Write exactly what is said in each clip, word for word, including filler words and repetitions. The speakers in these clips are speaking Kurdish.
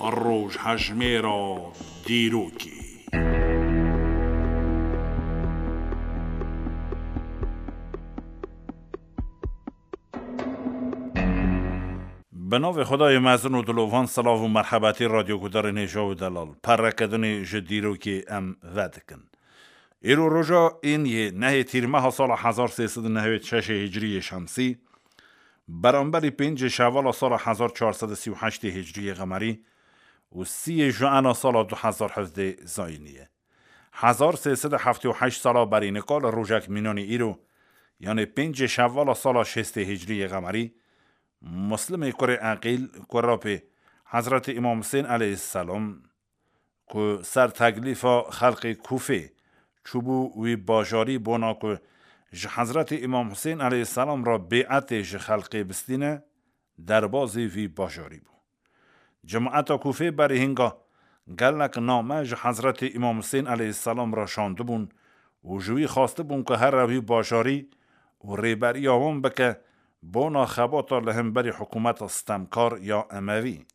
Rojhejmêra dîrokê. Bi navê Xwedayê mezin û dilovan, silav û merhebetî radyogudarên hêja û delal. Perrekedinê ji dîrokê em vedikin. Îro roja ên yê nehê tîrmeha sala hezar sê sed û newêd şeşê hicriyê şemsî, beramberî pêncê şevala sala hezar çar sed û sî û heştê hicriyê qemerî û sîyê juena sala du hezar hevdê zayînî ye. Hezar sê sed û heftê û heşt sala berî nika li rojek mînanî îro, yanê pêncê şevala sala şêstê hicriyê qemerî, Muslimê kurê Eqîl, kurapê Hezretî Îmam Husên aleyhisselam, ku ser teklîfa xelqê Kûfê çûbû wî bajarî, bona ku ji Hezretî Îmam Husên aleyhisselam re bêetê ji xelqê bistîne, derbazî vî bajarî bû. Cemaeta Kûfê berî hinga gelek name ji Hezretî Îmam Husên aleyhisselam re şandibûn û ji wî xwastibûn ku here wî bajarî û rêberiya wan bike, bona xebata li hemberî hikûmeta stemkar ya Emevî.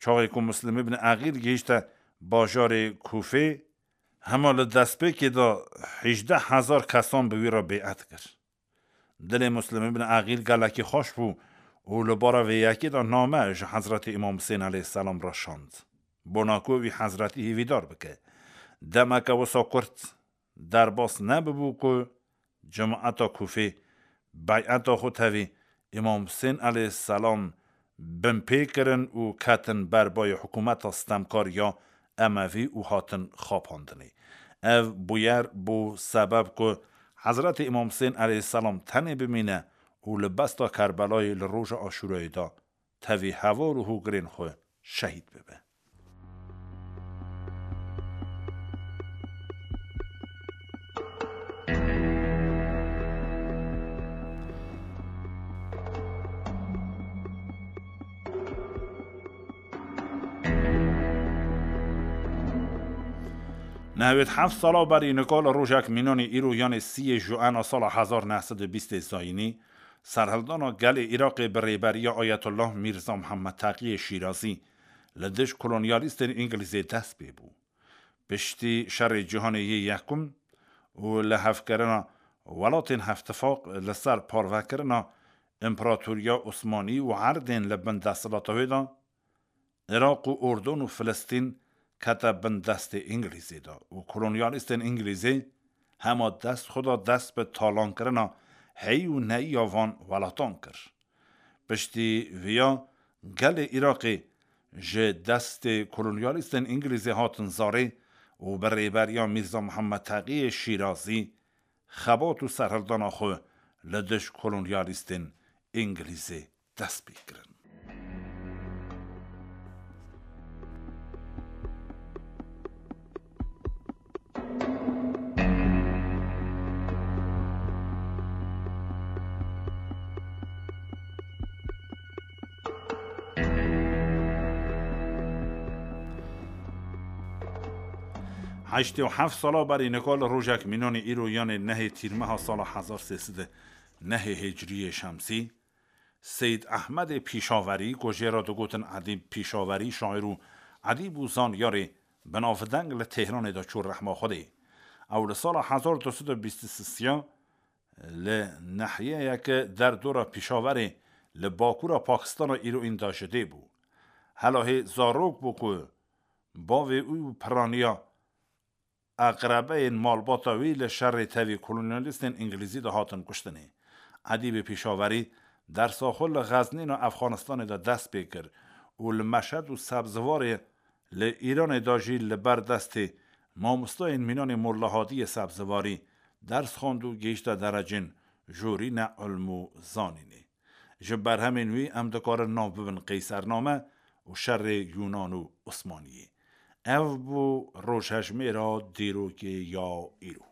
Çaxê ku Muslim ibn Eqîl gihîşte bajarê Kûfê, hema li destpêkê de hejdeh hezar kesan bi wî re bê'et kir. Dilê Muslim ibn Eqîl gelekî xweş bû û li bara vê yekê de name ji Hezretî Îmam Husên aleyhisselam re şand, bona ku wî Hezretî hêvîdar bike. Demeke wisa kurt derbas nebibû ku cemaeta Kûfê beyeta xwe tevî Îmam Husên aleyhisselam binpê kirin û ketin ber bayê hikûmeta stemkar ya Emevî û hatin xapandinê. Ev bûyer bû sebeb ku Hezretî Îmam Husên aleyhisselam tenê bimîne û li besta Kerbelayê li roja Aşûrayê de tevî heval û hogirên xwe şehîd bibe. Nehwêd heft sala berî nika li rojek mînanî îro, yanê sîyê juena sala hezar neh sed û bîstê zayînî, serhildana gelê Iraqê bi rêberiya Ayetullah Mîrza Mihemed Teqiyê Şîrazî li dij kolonyalîstên Îngilîzê dest pê bû. Piştî şerê cîhanê yê yekum û li hevkirina welatên Hevtifaq li ser parvekirina Împeratoriya Osmanî û erdên li bin desthilata wê de, Iraq û Urdun û Filistîn kete bin destê Îngilîzê de û kolonyalîstên Îngilîzê hema dest xwe da dest bi talankirina heyî û neyî ya van welatan kir. Piştî viya gelê Iraqê ji destê kolonyalîstên Îngilîzê hatin zarê û bi rêberiya Mîrza Mihemed Teqiyê Şîrazî xebat û serhildana xwe li dij kolonyalîstên Îngilîzê dest pê kirin. Heştê û heft sala berî nika li rojek mînanî îro, yanê nehê tîrmeha sala hezar sê sed û nehê hicriyê şemsî, Seyîd Ehmedê Pîşaverî, ku jê re digotin Edîb Pîşaverî, şaîr û edîb û zanyarê binavdeng, li Têhranê de çû rehma Xwedê. Ew li sala hezar du sed û bîst û sisiya li nehiyeyeke derdora Pîşaverê li bakûra Pakistana îro înda ji dê bû. Helahê zarok bû ku bavê wî û piraniya eqrebeyên malbata wî li şerê tevî kolonyalîstên Îngilîzî de hatin kuştinê. Edîbê Pîşaverî dersa xwe li Xeznîna Efxanistanê de dest pê kir û li Meşed û Sebziwarê li Îranê de jî li ber destê mamostayên mînanê Molla Hadiyê Sebziwarî ders xwend û gihîşte derecên jorîne ilm û zanînê. Ji berhemên wî em dikarin nav bibin Qeysername û Şerê Yûnan û Osmaniyê. Ev bû rojhejmêra dîrokê ya îro.